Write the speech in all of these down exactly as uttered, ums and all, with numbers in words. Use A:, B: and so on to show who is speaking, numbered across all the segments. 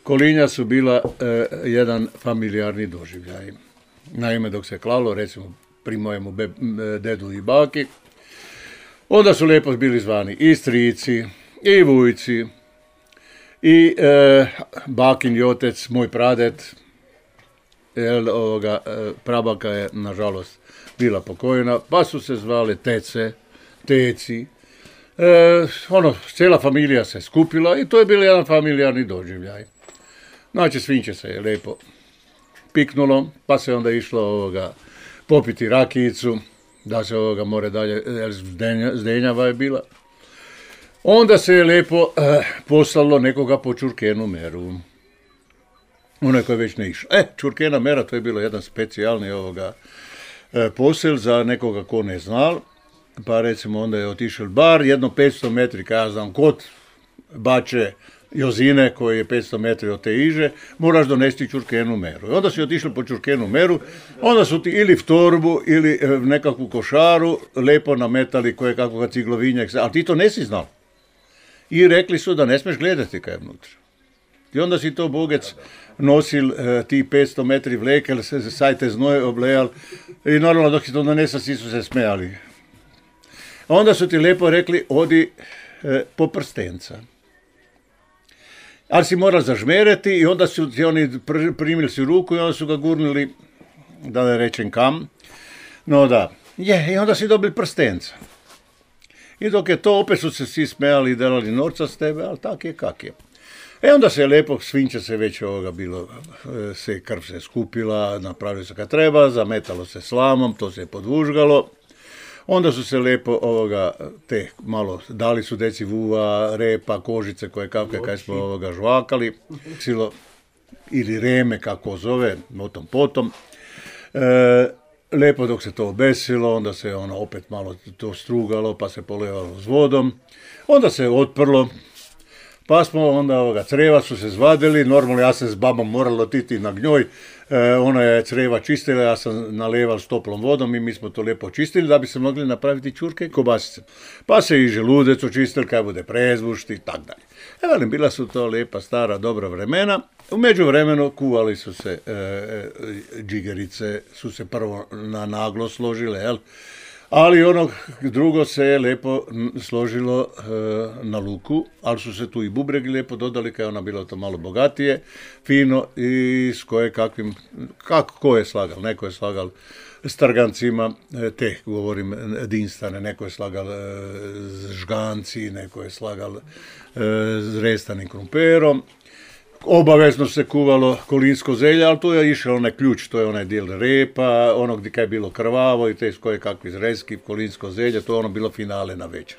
A: kolinja su bila e, jedan familijarni doživljaj. Naime, dok se klalo, recimo pri mojemu be, dedu i baki, onda su lijepo bili zvani i strici, i vujci, i e, bakin i otec, moj pradet, jel, ovoga, e, prabaka je, nažalost, bila pokojena, pa su se zvale tece, teci, e, ono, cijela familija se skupila i to je bio jedan familijarni doživljaj. Znači, svinče se je lijepo piknulo, pa se onda išlo ovoga, popiti rakijicu, da se ovoga more dalje, jer zdenja, zdenjava je bila. Onda se je lijepo eh, poslalo nekoga po Čurkenu meru. Onaj koji već ne išao. E, Čurkena mera, to je bilo jedan specijalni ovoga eh, posel za nekoga ko ne znal. Pa recimo onda je otišao bar jedno petsto metri, kada ja znam, kod Bače Jozine, koji je petsto metri od te iže, moraš donesti Čurkenu meru. I onda si otišli po Čurkenu meru, onda su ti ili v torbu, ili nekakvu košaru, lepo nametali koje kakvoga ciglovinjak, ali ti to nesi znal. I rekli su da ne smiješ gledati kaj je vnutra. I onda si to bogec nosil eh, ti petsto metri vlekel, se saj te znoj oblejal i normalno dok si to donesao, svi su se smejali. Onda su ti lepo rekli, odi eh, po prstenca. Ali si moral zažmereti i onda su ti oni pr- primili si ruku i onda su ga gurnili, da ne rečem kam. No da, je, i onda si dobili prstenca. I dok je to, opet su se svi smejali i delali norca s tebe, ali tak je kak je. E onda se je lijepo, svinče se već ovoga bilo, se krv se skupila, napravilo se kad treba, zametalo se slamom, to se je podvužgalo. Onda su se lijepo ovoga, te malo, dali su deci vuva, repa, kožice koje kakve kaj smo ovoga žvakali, silo, ili reme kako zove, o tom potom. E, lijepo dok se to obesilo, onda se ono opet malo to strugalo, pa se polevalo s vodom. Onda se otprlo, pa smo onda ovoga, creva su se zvadili, normalno ja sam s babom moralo otići na gnjoj, e, ona je creva čistila, ja sam naleval s toplom vodom i mi smo to lijepo čistili da bi se mogli napraviti čurke i kobasice. Pa se i želudec očistili, kaj bude prezvušti i tak dalje. E, velim, bila su to lijepa, stara, dobra vremena. U međuvremenu kuvali su se e, e, džigerice, su se prvo na naglo složile, jel? Ali ono drugo se je lijepo složilo e, na luku, ali su se tu i bubregi lijepo dodali, kaj je ona bila to malo bogatije, fino i s koje kakvim, kako ko je slagal, neko je slagal s trgancima, e, te govorim dinstane, neko je slagal e, s žganci, neko je slagal e, s restanim krumperom. Obavezno se kuvalo kolinsko zelje, ali tu je išao onaj ključ, to je onaj dijel repa, ono gdje je bilo krvavo i te koje kakvi zrezki, kolinsko zelje, to je ono bilo finale na večer.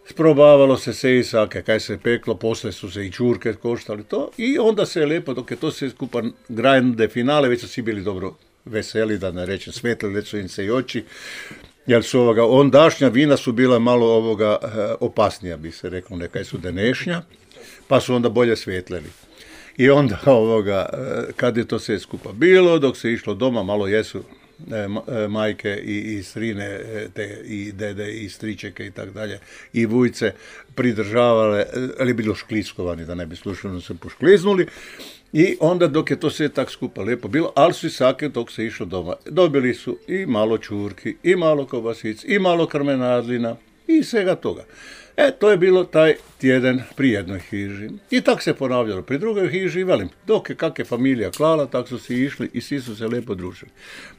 A: Sprobavalo se se i sake, kaj se peklo, posle su se i čurke koštali to i onda se je lijepo, dok je to sve skupa grande finale, već su svi bili dobro veseli, da ne rečem svetlili su im se i oči, jer su ovoga, ondašnja vina su bila malo ovoga opasnija, bi se reklo, nekaj su denešnja. Pa su onda bolje svjetleni. I onda ovoga, kad je to sve skupa bilo, dok se išlo doma, malo jesu e, majke i, i strine, te, i dede, i stričeke i tak dalje, i vujce pridržavale, ali bilo škliskovani, da ne bi slučajno se poškliznuli. I onda dok je to sve tak skupa lijepo bilo, ali su i sake dok se išlo doma. Dobili su i malo čurki, i malo kobasic, i malo krmenadlina, i svega toga. E, to je bilo taj tjedan pri jednoj hiži. I tak se ponavljalo pri drugoj hiži, velim, dok je kak je familija klala, tak su si išli i svi su se lijepo družili.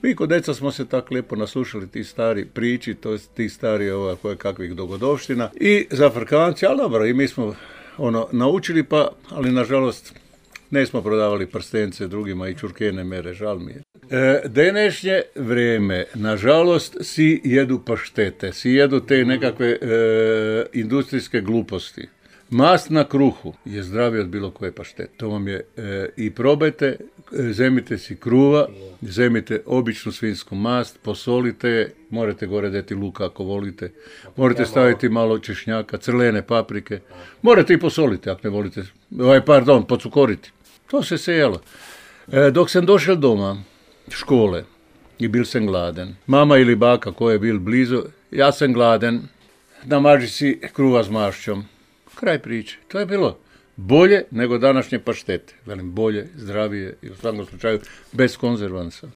A: Mi kod deca smo se tak lijepo naslušali ti stari priči, to je ti stari ova, koje kakvih dogodovština i zafrkanci, ali dobro, i mi smo ono naučili, pa, ali nažalost ne smo prodavali prstence drugima i čurkene mere, žal mi je. E, denešnje vrijeme, nažalost, si jedu paštete, si jedu te nekakve e, industrijske gluposti. Mast na kruhu je zdravije od bilo koje paštete. To vam je e, i probajte, zemite si kruva, zemite običnu svinsku mast, posolite je, morate gore deti luka ako volite, morate staviti malo češnjaka, crlene paprike, morate i posoliti ako ne volite, ovaj, pardon, pocukoriti. To se sejalo. E, dok sam došel doma, škole, i bil sam gladen. Mama ili baka ko je bil blizu, ja sam gladen, namaži si kruva s mašćom. Kraj priče. To je bilo. bolje nego današnje paštete. Velim bolje, zdravije i u svakom slučaju bez konzervansa.